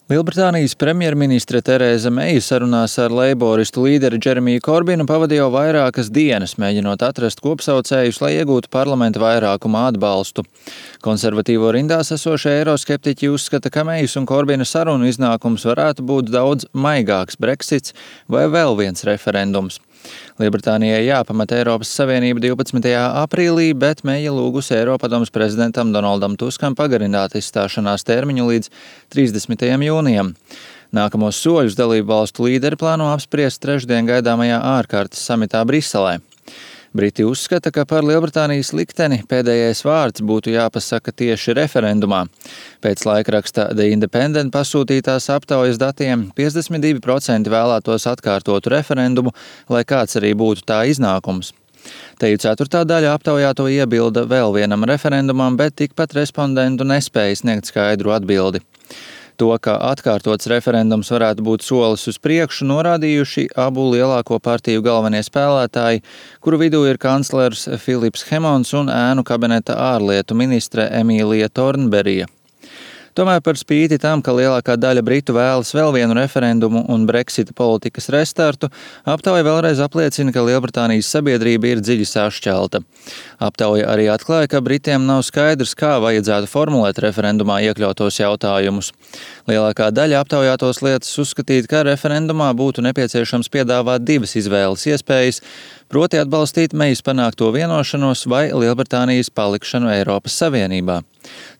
Lielbritānijas premjerministre Terēza Meija sarunās ar leiboristu līderi Džeremiju Korbinu pavadīja jau vairākas dienas, mēģinot atrast kopsaucējus, lai iegūtu parlamenta vairākuma atbalstu. Konservatīvo rindās esošie eiroskeptiķi uzskata, ka Meijas un Korbina sarunu iznākums varētu būt daudz maigāks Brexits vai vēl viens referendums. Lielbritānijai jāpamet Eiropas Savienība 12. aprīlī, bet Meija lūgusi Eiropadomes prezidentam Donaldam Tuskam pagarināt izstāšanās termiņu līdz 30. jūnijam. Nākamos soļus dalību valstu līderi plāno apspriest trešdien gaidāmajā ārkārtas samitā Briselē. Briti uzskata, ka par Lielbritānijas likteni pēdējais vārds būtu jāpasaka tieši referendumā. Pēc laikraksta The Independent pasūtītās aptaujas datiem 52% vēlētos atkārtotu referendumu, lai kāds arī būtu tā iznākums. Teju ceturtā daļa aptaujāto iebilda vēl vienam referendumam, bet tikpat respondentu nespēja sniegt skaidru atbildi. To, ka atkārtots referendums varētu būt solis uz priekšu, norādījuši abu lielāko partiju galvenie spēlētāji, kuru vidū ir kanclers Filips Hemons un ēnu kabineta ārlietu ministre Emīlija Tornberija. Tomēr par spīti tam, ka lielākā daļa britu vēlas vēl vienu referendumu un Brexita politikas restartu, aptauja vēlreiz apliecina, ka Lielbritānijas sabiedrība ir dziļi sašķelta. Aptauja arī atklāja, ka Britiem nav skaidrs, kā vajadzētu formulēt referendumā iekļautos jautājumus. Lielākā daļa aptaujātos lietas uzskatīt, ka referendumā būtu nepieciešams piedāvāt divas izvēles iespējas, proti atbalstīt Meijas panākto vienošanos vai Lielbritānijas palikšanu Eiropas Savienībā.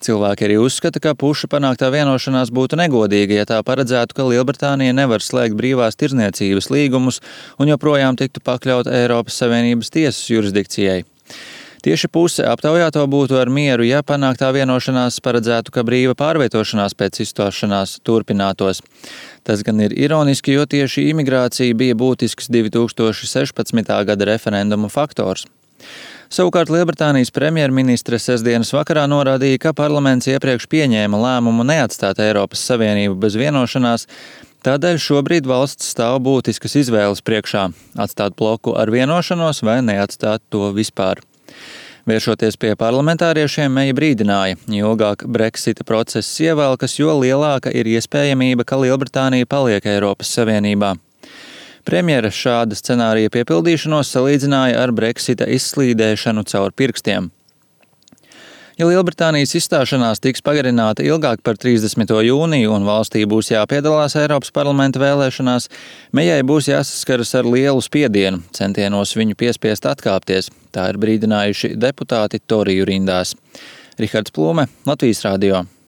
Cilvēki arī uzskata, ka puša panāktā vienošanās būtu negodīga, ja tā paredzētu, ka Lielbritānija nevar slēgt brīvās tirdzniecības līgumus un joprojām tiktu pakļauta Eiropas Savienības tiesas jurisdikcijai. Tieši puse aptaujāto būtu ar mieru, ja panāktā vienošanās paredzētu, ka brīva pārvietošanās pēc izstāšanās turpinātos. Tas gan ir ironiski, jo tieši imigrācija bija būtisks 2016. gada referenduma faktors. Savukārt Lielbritānijas premjerministre sestdienas vakarā norādīja, ka parlaments iepriekš pieņēma lēmumu neatstāt Eiropas Savienību bez vienošanās, tādēļ šobrīd valsts stāv būtiskas izvēles priekšā – atstāt bloku ar vienošanos vai neatstāt to vispār. Vēršoties pie parlamentāriešiem, Meija brīdināja, jo ilgāk Brexita process ievelkas, jo lielāka ir iespējamība, ka Lielbritānija paliek Eiropas Savienībā. Premjera šāda scenārija piepildīšanos salīdzināja ar Brexita izslīdēšanu caur pirkstiem. Ja Lielbritānijas izstāšanās tiks pagarināta ilgāk par 30. jūniju un valstī būs jāpiedalās Eiropas parlamenta vēlēšanās, Meijai būs jāsaskaras ar lielu spiedienu, centienos viņu piespiest atkāpties. Tā ir brīdinājuši deputāti Toriju rindās. Rihards Plūme, Latvijas radio.